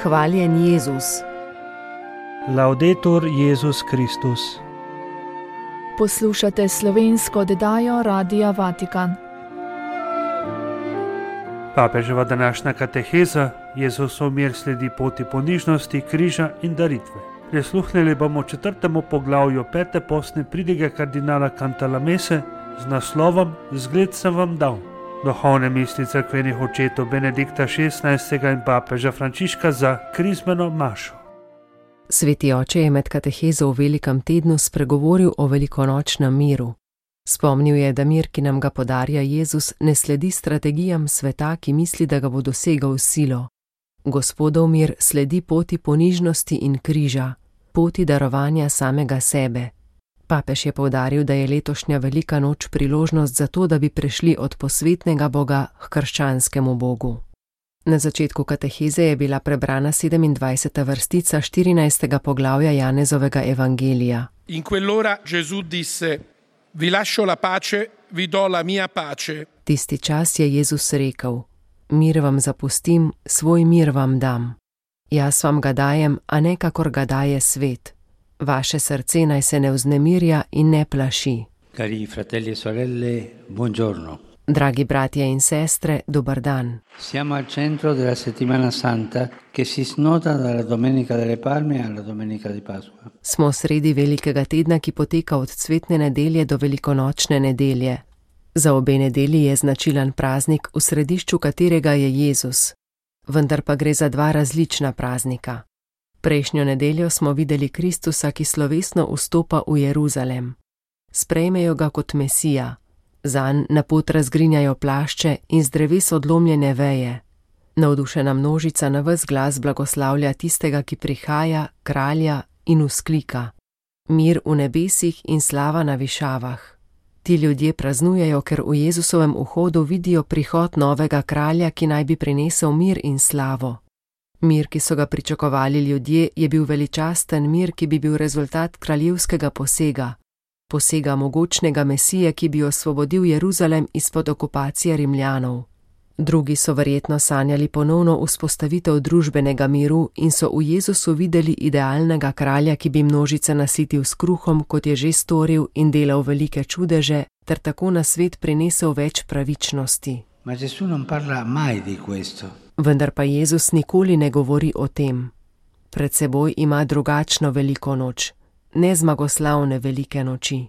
Hvaljen Jezus. Laudetur Jezus Kristus. Poslušate slovensko oddajo Radia Vatikan. Papeževa današnja kateheza Jezusov mir sledi poti ponižnosti, križa in daritve. Prisluhnili bomo 4. poglavju 5. postne pridige kardinala Cantalamesse z naslovom Zgled sem vam dal. Duhovne misli cerkvenih očetov Benedikta XVI. In papeža Frančiška za krizmeno mašo. Sveti oče je med katehezo v velikem tednu spregovoril o velikonočnem miru. Spomnil je, da mir, ki nam ga podarja Jezus, ne sledi strategijam sveta, ki misli, da ga bo dosegal s silo. Gospodov mir sledi poti ponižnosti in križa, poti darovanja samega sebe. Papež je poudaril, da je letošnja velika noč priložnost za to, da bi prešli od posvetnega Boga k krščanskemu Bogu. Na začetku kateheze je bila prebrana 27. vrstica 14. poglavja Janezovega evangelija. In quell'ora Gesù disse: Vi lascio la pace, vi do la mia pace. Tisti čas je Jezus rekel: Mir vam zapustim, svoj mir vam dam. Jaz vam ga dajem, a ne kakor ga daje svet. Vaše srce naj se ne vznemirja in ne plaši. Cari fratelli e sorelle, buongiorno. Dragi bratje in sestre, dober dan. Siamo al centro della settimana santa che si snoda dalla Domenica delle Palme alla Domenica di Pasqua. Smo sredi velikega tedna, ki poteka od cvetne nedelje do velikonočne nedelje. Za obe nedelji je značilen praznik, v središču katerega je Jezus. Vendar pa gre za dva različna praznika. Prejšnjo nedeljo smo videli Kristusa, ki slovesno vstopa v Jeruzalem. Sprejmejo ga kot Mesija. Zanj na pot razgrinjajo plašče in z dreves odlomljene veje. Navdušena množica na ves glas blagoslavlja tistega, ki prihaja, kralja, in vzklika: Mir v nebesih in slava na višavah. Ti ljudje praznujejo, ker v Jezusovem vhodu vidijo prihod novega kralja, ki naj bi prinesel mir in slavo. Mir, ki so ga pričakovali ljudje, je bil veličasten mir, ki bi bil rezultat kraljevskega posega mogočnega Mesije, ki bi osvobodil Jeruzalem izpod okupacije Rimljanov. Drugi so verjetno sanjali ponovno vzpostavitev družbenega miru in so v Jezusu videli idealnega kralja, ki bi množice nasitil s kruhom, kot je že storil, in delal velike čudeže, ter tako na svet prinesel več pravičnosti. Ma Gesù non parla mai di questo. Vendar pa Jezus nikoli ne govori o tem. Pred seboj ima drugačno veliko noč, ne zmagoslavne velike noči.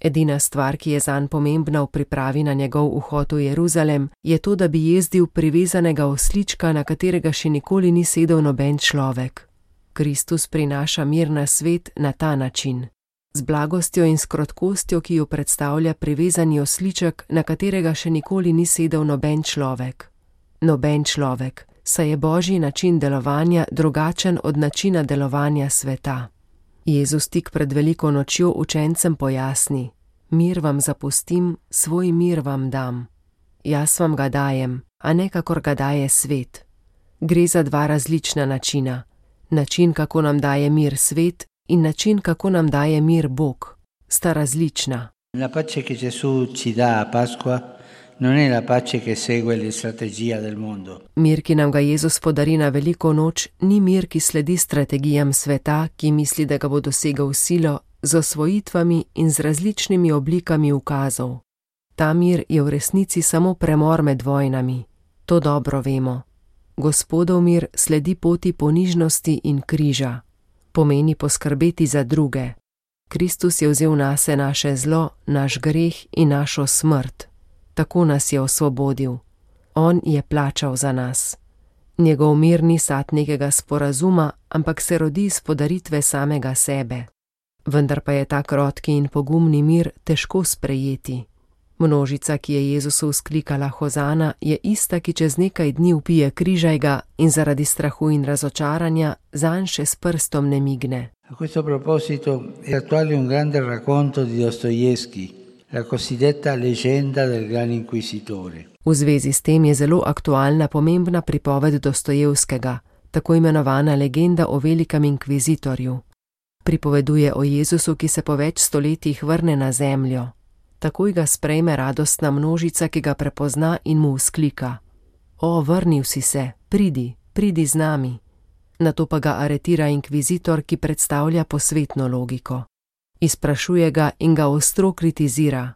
Edina stvar, ki je zanj pomembna v pripravi na njegov vhod v Jeruzalem, je to, da bi jezdil privezanega oslička, na katerega še nikoli ni sedel noben človek. Kristus prinaša mir na svet na ta način. Z blagostjo in s krotkostjo, ki jo predstavlja privezani osliček, na katerega še nikoli ni sedel noben človek. Noben človek, saj je Božji način delovanja drugačen od načina delovanja sveta. Jezus tik pred veliko nočjo učencem pojasni: Mir vam zapustim, svoj mir vam dam. Jaz vam ga dajem, a ne kakor ga daje svet. Gre za dva različna načina. Način, kako nam daje mir svet, in način, kako nam daje mir Bog, sta različna. La pace che Gesù ci dà a Pasqua non è la pace che segue le strategie del mondo. Mir, ki nam ga Jezus podari na veliko noč, ni mir, ki sledi strategijam sveta, ki misli, da ga bo dosegel silo, z osvojitvami in z različnimi oblikami ukazov. Ta mir je v resnici samo premor med vojnami. To dobro vemo. Gospodov mir sledi poti ponižnosti in križa. Pomeni poskrbeti za druge. Kristus je vzel nase naše zlo, naš greh in našo smrt. Tako nas je osvobodil. On je plačal za nas. Njegov mir ni sad nekega sporazuma, ampak se rodi iz podaritve samega sebe. Vendar pa je ta krotki in pogumni mir težko sprejeti. Množica, ki je Jezusu vzklikala hozana, je ista, ki čez nekaj dni vpije križaj ga in zaradi strahu in razočaranja zanj še s prstom ne migne. A questo proposito è attuale un grande racconto di Dostoevskij, la cosiddetta leggenda del gran inquisitore. V zvezi s tem je zelo aktualna pomembna pripoved Dostojevskega, tako imenovana legenda o velikem inkvizitorju. Pripoveduje o Jezusu, ki se po več stoletjih vrne na zemljo. Takoj ga sprejme radostna množica, ki ga prepozna in mu vzklika: O, vrnil si se, pridi z nami. Nato pa ga aretira inkvizitor, ki predstavlja posvetno logiko. Izprašuje ga in ga ostro kritizira.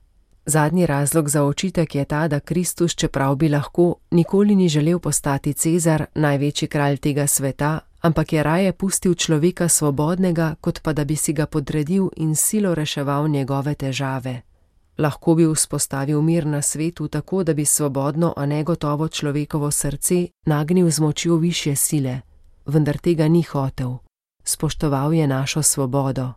Zadnji razlog za očitek je ta, da Kristus, čeprav bi lahko, nikoli ni želel postati Cezar, največji kralj tega sveta, ampak je raje pustil človeka svobodnega, kot pa da bi si ga podredil in silo reševal njegove težave. Lahko bi vzpostavil mir na svetu tako, da bi svobodno, a negotovo človekovo srce nagnil z močjo višje sile, vendar tega ni hotel. Spoštoval je našo svobodo.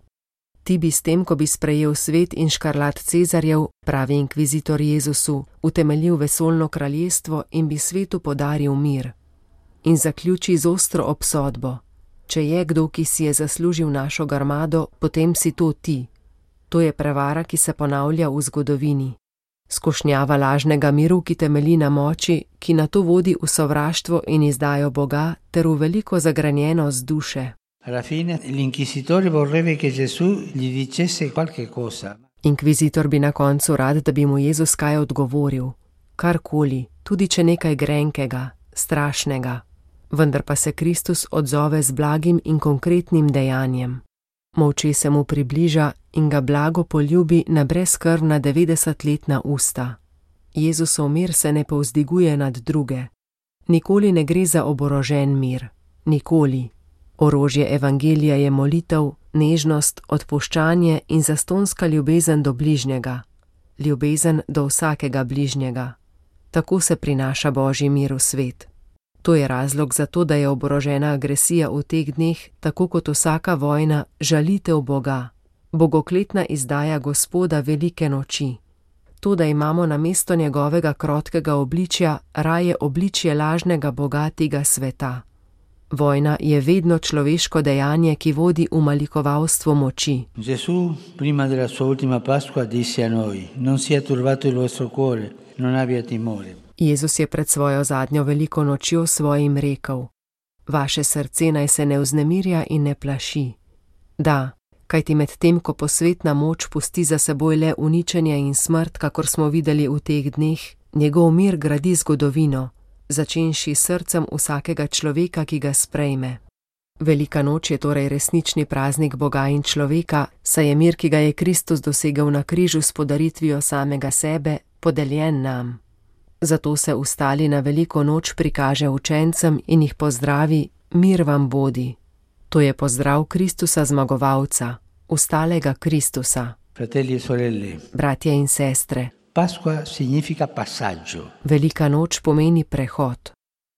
Ti bi s tem, ko bi sprejel svet in škarlat Cezarjev, pravi inkvizitor Jezusu, utemeljil vesoljno kraljestvo in bi svetu podaril mir. In zaključi z ostro obsodbo. Če je kdo, ki si je zaslužil našo grmado, potem si to ti. To je prevara, ki se ponavlja v zgodovini. Skušnjava lažnega miru, ki temelji na moči, ki nato vodi v sovraštvo in izdajo Boga, ter v veliko zagranjenost duše. Alla fine l'inquisitore vorrebbe che Gesù gli dicesse qualche cosa. Inkvizitor bi na koncu rad, da bi mu Jezus kaj odgovoril. Karkoli, tudi če nekaj grenkega, strašnega. Vendar pa se Kristus odzove z blagim in konkretnim dejanjem. Molče se mu približa in ga blago poljubi na brezkrvna 90-letna usta. Jezusov mir se ne povzdiguje nad druge. Nikoli ne gre za oborožen mir. Nikoli. Orožje evangelija je molitev, nežnost, odpuščanje in zastonska ljubezen do bližnjega. Ljubezen do vsakega bližnjega. Tako se prinaša Božji mir v svet. To je razlog za to, da je oborožena agresija v teh dneh, tako kot vsaka vojna, žalitev Boga. Bogokletna izdaja Gospoda velike noči. To, da imamo namesto njegovega krotkega obličja raje obličje lažnega Boga tega sveta. Vojna je vedno človeško dejanje, ki vodi v malikovalstvo moči. Gesù, prima della sua ultima Pasqua, disse a noi: Non sia turbato il vostro cuore, non abbia timore. Jezus je pred svojo zadnjo veliko nočjo svojim rekel: Vaše srce naj se ne vznemirja in ne plaši. Da, kajti med tem, ko posvetna moč pusti za seboj le uničenje in smrt, kakor smo videli v teh dneh, njegov mir gradi zgodovino, začenši srcem vsakega človeka, ki ga sprejme. Velika noč je torej resnični praznik Boga in človeka, saj je mir, ki ga je Kristus dosegel na križu s podaritvijo samega sebe, podeljen nam. Zato se vstali na veliko noč prikaže učencem in jih pozdravi: Mir vam bodi. To je pozdrav Kristusa zmagovalca, vstalega Kristusa. Fratelli e sorelle. Bratje in sestre. Pasqua significa passaggio. Velika noč pomeni prehod.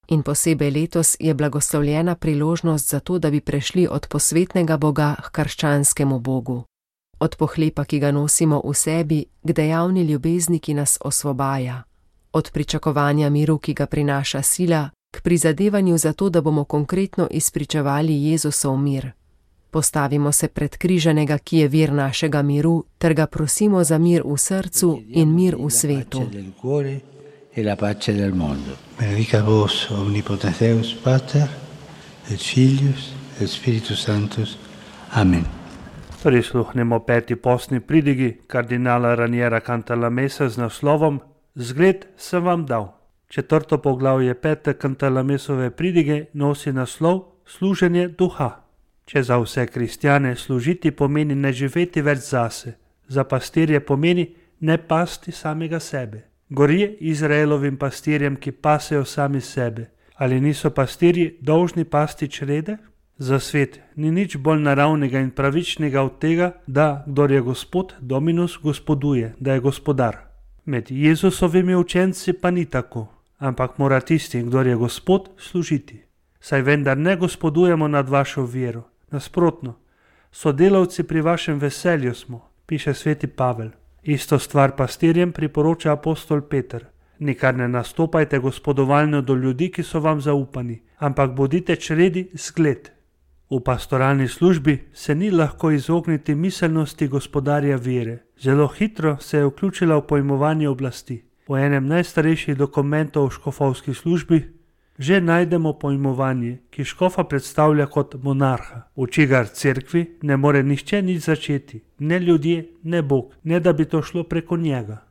In posebej letos je blagoslovljena priložnost za to, da bi prešli od posvetnega Boga k krščanskemu Bogu. Od pohlepa, ki ga nosimo v sebi, k dejavni ljubezni, ki nas osvobaja. Od pričakovanja miru, ki ga prinaša sila, k prizadevanju za to, da bomo konkretno izpričevali Jezusov mir. Postavimo se pred križanega, ki je vir našega miru, ter ga prosimo za mir v srcu in mir v svetu. Benedicat vos omnipotens Deus, Pater, et Filius, et Spiritus Sanctus. Amen. Prisluhnemo peti postni pridigi kardinala Raniera Cantalamessa z naslovom Zgled sem vam dal. Četrto poglavje pete Cantalamessove pridige nosi naslov Služenje duha. Če za vse kristjane služiti pomeni ne živeti več zase, za pastirje pomeni ne pasti samega sebe. Gorje Izraelovim pastirjem, ki pasejo sami sebe. Ali niso pastirji dolžni pasti črede? Za svet ni nič bolj naravnega in pravičnega od tega, da kdor je gospod, Dominus gospoduje, da je gospodar. Med Jezusovimi učenci pa ni tako, ampak mora tisti, kdor je gospod, služiti. Saj vendar ne gospodujemo nad vašo vero. Nasprotno, sodelavci pri vašem veselju smo, piše sveti Pavel. Isto stvar pastirjem priporoča apostol Peter. Nikar ne nastopajte gospodovalno do ljudi, ki so vam zaupani, ampak bodite čredi zgled. V pastoralni službi se ni lahko izogniti miselnosti gospodarja vere. Zelo hitro se je vključila v pojmovanje oblasti. V enem najstarejših dokumentov o škofovski službi že najdemo pojmovanje, ki škofa predstavlja kot monarha, v čigar cerkvi ne more nihče nič začeti, ne ljudje, ne Bog, ne da bi to šlo preko njega.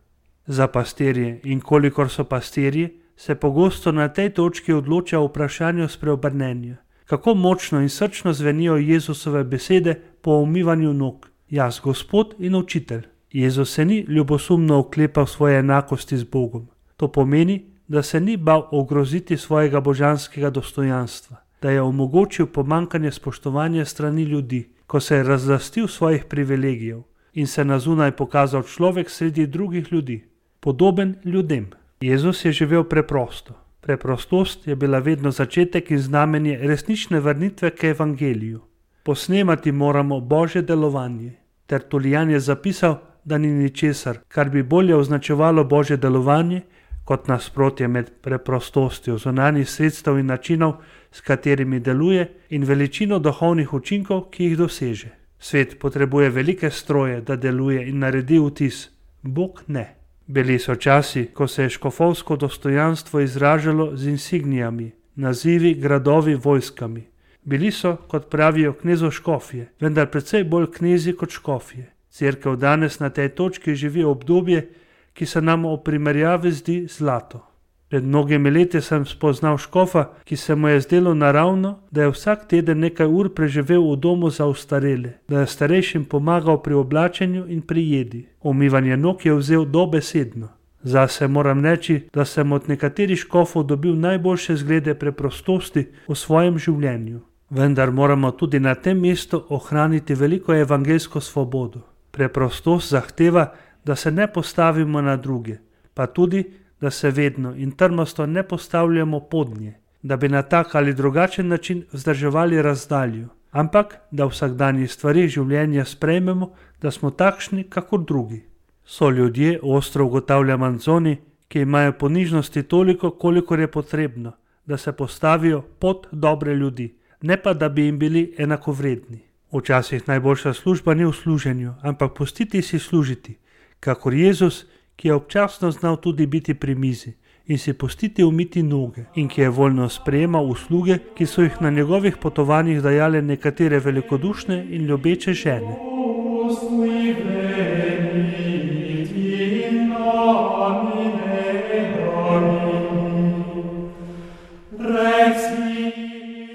Za pastirje in kolikor so pastirji, se pogosto na tej točki odloča o vprašanju spreobrnenja. Kako močno in srčno zvenijo Jezusove besede po umivanju nog. Jaz, Gospod in učitelj. Jezus se ni ljubosumno oklepal svoje enakosti z Bogom. To pomeni, da se ni bal ogroziti svojega božanskega dostojanstva, da je omogočil pomanjkanje spoštovanja strani ljudi, ko se je razlastil svojih privilegijev in se na zunaj pokazal človek sredi drugih ljudi, podoben ljudem. Jezus je živel preprosto. Preprostost je bila vedno začetek in znamenje resnične vrnitve k evangeliju. Posnemati moramo Božje delovanje. Tertulijan je zapisal, da ni ničesar, kar bi bolje označevalo Božje delovanje, kot nasprotje med preprostostjo zunanjih sredstev in načinov, s katerimi deluje, in veličino duhovnih učinkov, ki jih doseže. Svet potrebuje velike stroje, da deluje in naredi vtis. Bog ne. Bili so časi, ko se je škofovsko dostojanstvo izražalo z insignijami, nazivi, gradovi, vojskami. Bili so, kot pravijo, knezoškofje, vendar precej bolj knezi kot škofje. Cerkev danes na tej točki živi obdobje, ki se nam v primerjavi zdi zlato. Pred mnogimi leti sem spoznal škofa, ki se mu je zdelo naravno, da je vsak teden nekaj ur preživel v domu za ostarele, da je starejšim pomagal pri oblačenju in pri jedi. Umivanje nog je vzel dobesedno. Zase moram reči, da sem od nekaterih škofov dobil najboljše zglede preprostosti v svojem življenju. Vendar moramo tudi na tem mestu ohraniti veliko evangeljsko svobodo. Preprostost zahteva, da se ne postavimo na druge, pa tudi, da se vedno in trmasto ne postavljamo pod nje, da bi na tak ali drugačen način vzdrževali razdaljo, ampak da v vsakdanjih stvarih življenja sprejmemo, da smo takšni kakor drugi. So ljudje, ostro ugotavlja Manzoni, ki imajo ponižnosti toliko, kolikor je potrebno, da se postavijo pod dobre ljudi, ne pa da bi jim bili enakovredni. Včasih najboljša služba ni v služenju, ampak pustiti si služiti, kakor Jezus, ki je občasno znal tudi biti pri mizi in si pustiti umiti noge in ki je voljno sprejemal usluge, ki so jih na njegovih potovanjih dajale nekatere velikodušne in ljubeče žene.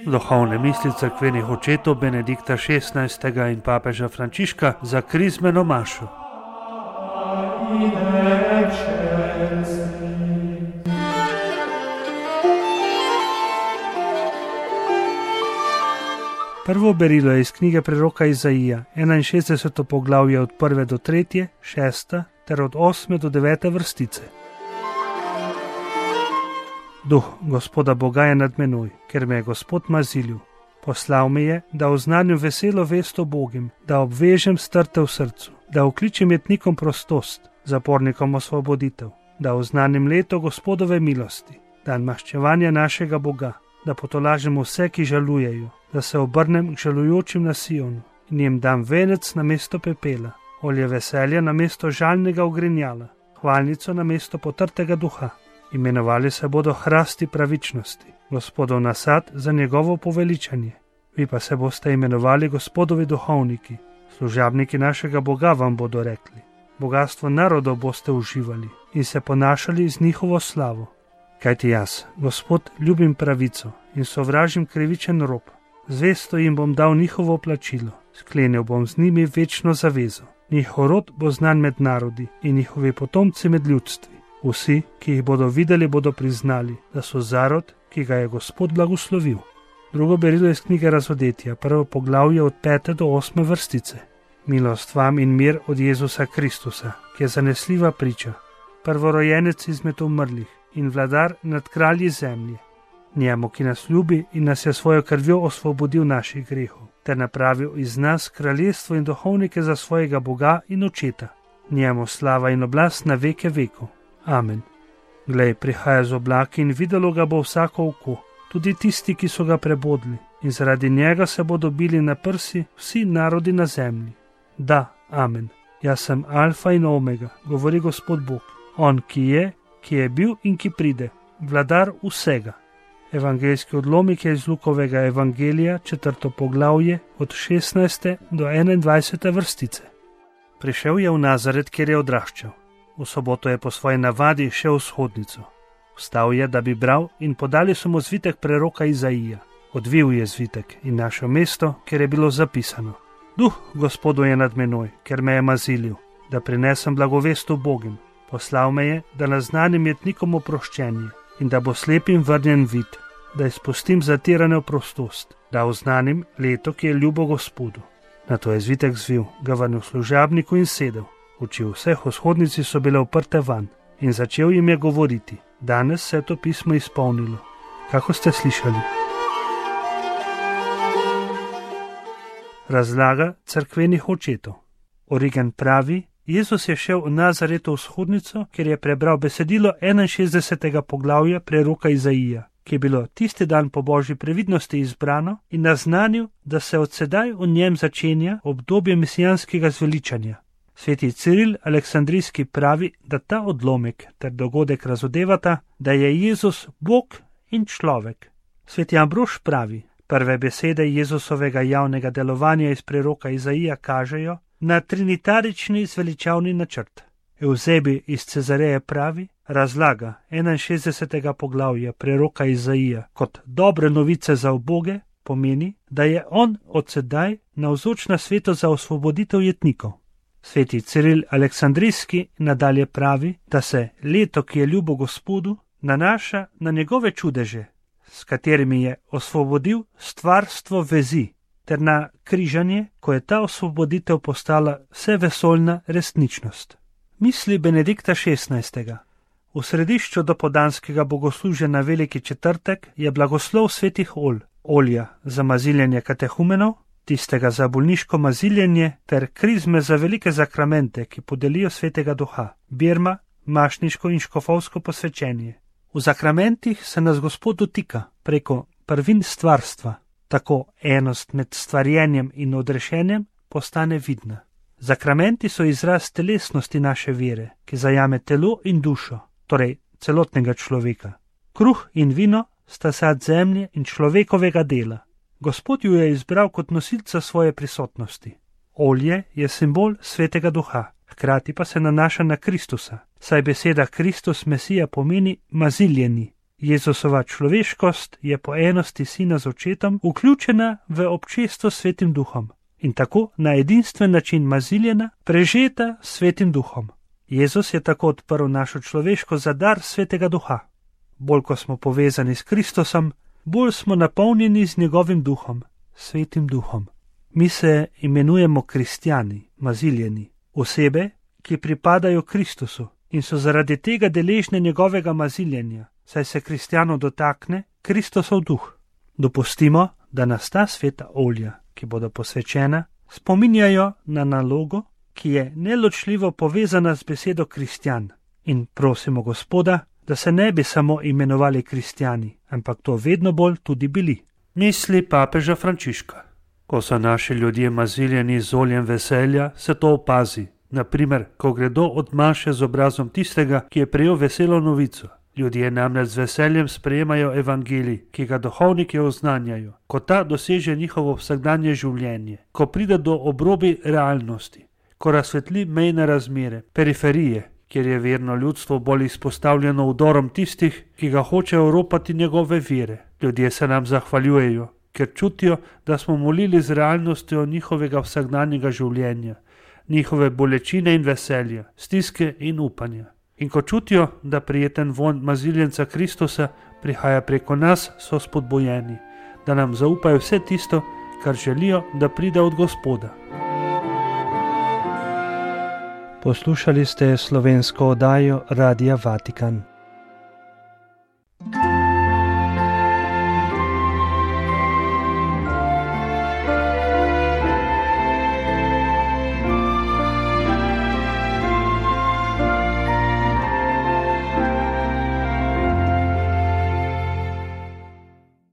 Duhovne misli cerkvenih očetov Benedikta XVI. In papeža Frančiška za krizmeno mašo. Prvo berilo je iz knjige preroka Izaija, 61. poglavje od 1. do 3., 6. ter od 8. do 9. vrstice. Duh Gospoda Boga je nad menoj, ker me je Gospod mazilil. Poslal me je, da oznanim veselo vest o Bogim, da obvežem strte v srcu, da okličem jetnikom prostost, zapornikom osvoboditev, da oznanim leto Gospodove milosti, dan maščevanja našega Boga, da potolažem vse, ki žalujejo, da se obrnem k žalujočim na Sionu in jim dam venec na mesto pepela, olje veselja na mesto žalnega ogrinjala, hvalnico na mesto potrtega duha. Imenovali se bodo hrasti pravičnosti, Gospodov nasad za njegovo poveličanje. Vi pa se boste imenovali Gospodovi duhovniki, služabniki našega Boga vam bodo rekli. Bogastvo narodov boste uživali in se ponašali z njihovo slavo. Kajti jaz, Gospod, ljubim pravico in sovražim krivičen rob. Zvesto jim bom dal njihovo plačilo, sklenil bom z njimi večno zavezo. Njihov rod bo znan med narodi in njihovi potomci med ljudstvi. Vsi, ki jih bodo videli, bodo priznali, da so zarod, ki ga je Gospod blagoslovil. Drugo berilo iz knjige Razodetja, prvo poglavje od 5. do 8. vrstice. Milost vam in mir od Jezusa Kristusa, ki je zanesljiva priča, prvorojenec izmed umrlih in vladar nad kralji zemlje. Njemu, ki nas ljubi in nas je svojo krvjo osvobodil naših grehov, ter napravil iz nas kraljestvo in duhovnike za svojega Boga in Očeta. Njemu slava in oblast na veke vekov. Amen. Glej, prihaja z oblaki in videlo ga bo vsako oko, tudi tisti, ki so ga prebodli, in zaradi njega se bodo bili na prsi vsi narodi na zemlji. Da, amen. Jaz sem alfa in omega, govori Gospod Bog, on, ki je bil in ki pride, vladar vsega. Evangeljski odlomek je iz Lukovega evangelija, 4. poglavje, od 16. do 21. vrstice. Prišel je v Nazaret, kjer je odraščal. V soboto je po svoji navadi šel v shodnico. Vstal je, da bi bral, in podali so mu zvitek preroka Izaija. Odvil je zvitek in našel mesto, kjer je bilo zapisano: Duh Gospodu je nad menoj, ker me je mazilil, da prinesem blagovest ubogim. Poslal me je, da naznanim jetnikom oproščenje in da bo slepim vrnjen vid, da izpustim zatirane v prostost, da oznanim leto, ki je ljubo Gospodu. Nato je zvitek zvil, ga vrnil služabniku in sedel. Oči vseh v shodnici so bile uprte van in začel jim je govoriti: Danes se je to pismo izpolnilo, kako ste slišali. Razlaga cerkvenih očetov. Origen pravi: Jezus je šel v Nazaretu v shodnico, kjer je prebral besedilo 61. poglavja preroka Izaija, ki je bilo tisti dan po božji previdnosti izbrano, in naznanil, da se od sedaj v njem začenja obdobje mesijanskega zveličanja. Sveti Ciril Aleksandrijski pravi, da ta odlomek ter dogodek razodevata, da je Jezus Bog in človek. Sveti Ambrož pravi: Prve besede Jezusovega javnega delovanja iz preroka Izaija kažejo na trinitarični zveličavni načrt. Euzebi iz Cezareje pravi, razlaga 61. poglavja preroka Izaija kot dobre novice za uboge, pomeni, da je on od sedaj navzoč na svetu za osvoboditev jetnikov. Sveti Ciril Aleksandrijski nadalje pravi, da se leto, ki je ljubo Gospodu, nanaša na njegove čudeže, s katerimi je osvobodil stvarstvo vezi, ter na križanje, ko je ta osvoboditev postala vsevesoljna resničnost. Misli Benedikta XVI. V središču dopoldanskega bogoslužja na Veliki četrtek je blagoslov svetih olja za maziljenje katehumenov, tistega za bolniško maziljenje ter krizme za velike zakramente, ki podelijo svetega duha, birma, mašniško in škofovsko posvečenje. V zakramentih se nas Gospod dotika preko prvin stvarstva, tako enost med stvarjenjem in odrešenjem postane vidna. Zakramenti so izraz telesnosti naše vere, ki zajame telo in dušo, torej celotnega človeka. Kruh in vino sta sad zemlje in človekovega dela. Gospod ju je izbral kot nosilca svoje prisotnosti. Olje je simbol svetega duha, hkrati pa se nanaša na Kristusa, saj beseda Kristus Mesija pomeni maziljeni. Jezusova človeškost je po enosti sina z očetom vključena v občestvo s svetim duhom in tako na edinstven način maziljena, prežeta s svetim duhom. Jezus je tako odprl našo človeško za dar svetega duha. Bolj ko smo povezani s Kristusom, bolj smo napolnjeni z njegovim duhom, svetim duhom. Mi se imenujemo kristjani, maziljeni, osebe, ki pripadajo Kristusu in so zaradi tega deležne njegovega maziljenja, saj se kristjanov dotakne Kristusov duh. Dopustimo, da nas ta sveta olja, ki bodo posvečena, spominjajo na nalogo, ki je neločljivo povezana z besedo kristjan, in prosimo Gospoda, da se ne bi samo imenovali kristjani, ampak to vedno bolj tudi bili. Misli papeža Frančiška. Ko so naši ljudje maziljeni z oljem veselja, se to opazi. Naprimer, ko gredo od maše z obrazom tistega, ki je prejel veselo novico. Ljudje namreč z veseljem sprejemajo evangelij, ki ga duhovniki oznanjajo, ko ta doseže njihovo vsakdanje življenje, ko pride do obrobi realnosti, ko razsvetli mejne razmere, periferije, kjer je verno ljudstvo bolj izpostavljeno vdorom tistih, ki ga hočejo ropati njegove vere. Ljudje se nam zahvaljujejo, ker čutijo, da smo molili z realnostjo njihovega vsakdanjega življenja, njihove bolečine in veselja, stiske in upanja. In ko čutijo, da prijeten vonj maziljenca Kristusa prihaja preko nas, so spodbojeni, da nam zaupajo vse tisto, kar želijo, da pride od Gospoda. Poslušali ste slovensko oddajo Radia Vatikan.